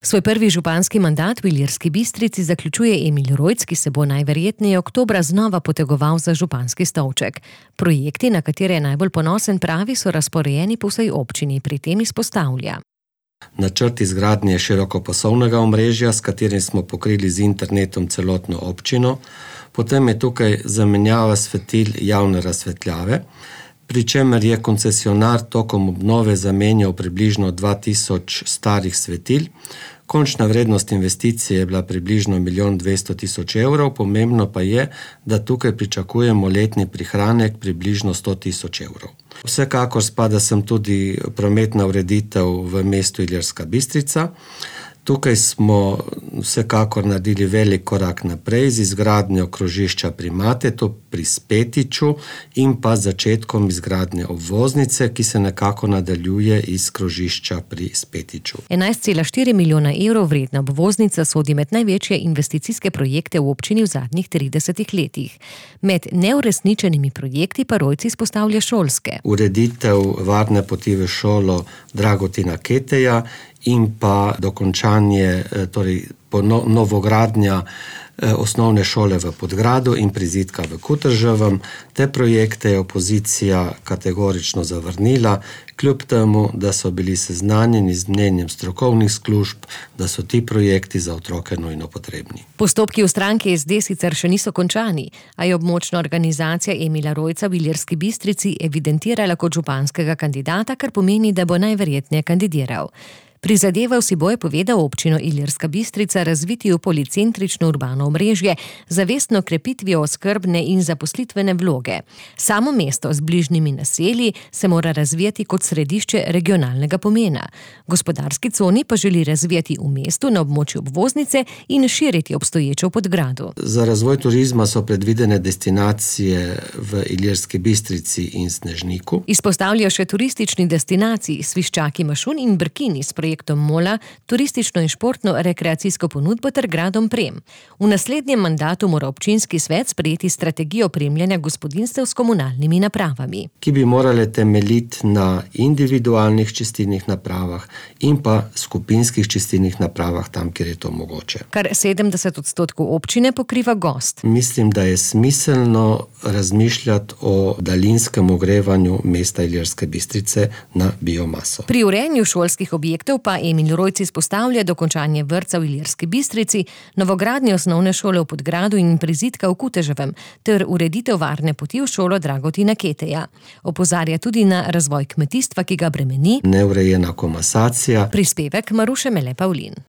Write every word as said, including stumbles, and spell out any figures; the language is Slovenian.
Svoj prvi županski mandat v Ilirski Bistrici zaključuje Emil Rojc, ki se bo najverjetneje oktobra znova potegoval za županski stolček. Projekti, na katere je najbolj ponosen, pravi, so razporejeni po vsej občini, pri tem izpostavlja. Načrt izgradnje širokopasovnega omrežja, s katerim smo pokrili z internetom celotno občino, potem je tukaj zamenjava svetil javne razsvetljave, pri čemer je koncesionar tokom obnove zamenjal približno dva tisoč starih svetil. Končna vrednost investicije je bila približno milijon dvesto tisoč evrov, pomembno pa je, da tukaj pričakujemo letni prihranek približno sto tisoč evrov. Vsekakor spada sem tudi prometna ureditev v mestu Ilirska Bistrica. Tukaj smo vsekakor naredili velik korak naprej z izgradnjo krožišča pri Matetu, pri Spetiču in pa začetkom izgradnje obvoznice, ki se nekako nadaljuje iz krožišča pri Spetiču. enajst cela štiri milijona evrov vredna obvoznica sodi med največje investicijske projekte v občini v zadnjih tridesetih letih. Med neuresničenimi projekti pa Rojc izpostavlja šolske. Ureditev varne poti v šolo Dragotina Keteja in pa dokončanje, torej novogradnja osnovne šole v Podgradu in prizidka v Kutrževem. Te projekte je opozicija kategorično zavrnila, kljub temu, da so bili seznanjeni z mnenjem strokovnih služb, da so ti projekti za otroke nujno potrebni. Postopki v stranki S D sicer še niso končani, a je območna organizacija Emila Rojca v Ilirski Bistrici evidentirala kot županskega kandidata, kar pomeni, da bo najverjetneje kandidiral. Prizadeval si bo, je povedal, občino Ilirska Bistrica razviti v policentrično urbano omrežje, zavestno krepitvijo oskrbne in zaposlitvene vloge. Samo mesto z bližnjimi naselji se mora razvijati kot središče regionalnega pomena. Gospodarski coni pa želi razvijati v mestu na območju obvoznice in širiti obstoječo v Podgradu. Za razvoj turizma so predvidene destinacije v Ilirski Bistrici in Snežniku. Izpostavlja še turistični destinaciji Sviščaki Mašun in Brkini s projektom Mola, turistično in športno rekreacijsko ponudbo ter gradom Prem. V naslednjem mandatu mora občinski svet sprejeti strategijo opremljanja gospodinjstev s komunalnimi napravami, ki bi morale temeljiti na individualnih čistilnih napravah in pa skupinskih čistilnih napravah tam, kjer je to mogoče. Kar sedemdeset odstotkov občine pokriva gozd. Mislim, da je smiselno razmišljati o daljinskem ogrevanju mesta Ilirske Bistrice na biomaso. Pri urejanju šolskih objektov pa Emil Rojc izpostavlja dokončanje vrtca v Ilirski Bistrici, novogradnje osnovne šole v Podgradu in prizidka v Kuteževem ter ureditev varne poti v šolo Dragotina Keteja. Opozarja tudi na razvoj kmetijstva, ki ga bremeni neurejena komasacija. Prispevek Maruše Mele Pavlin.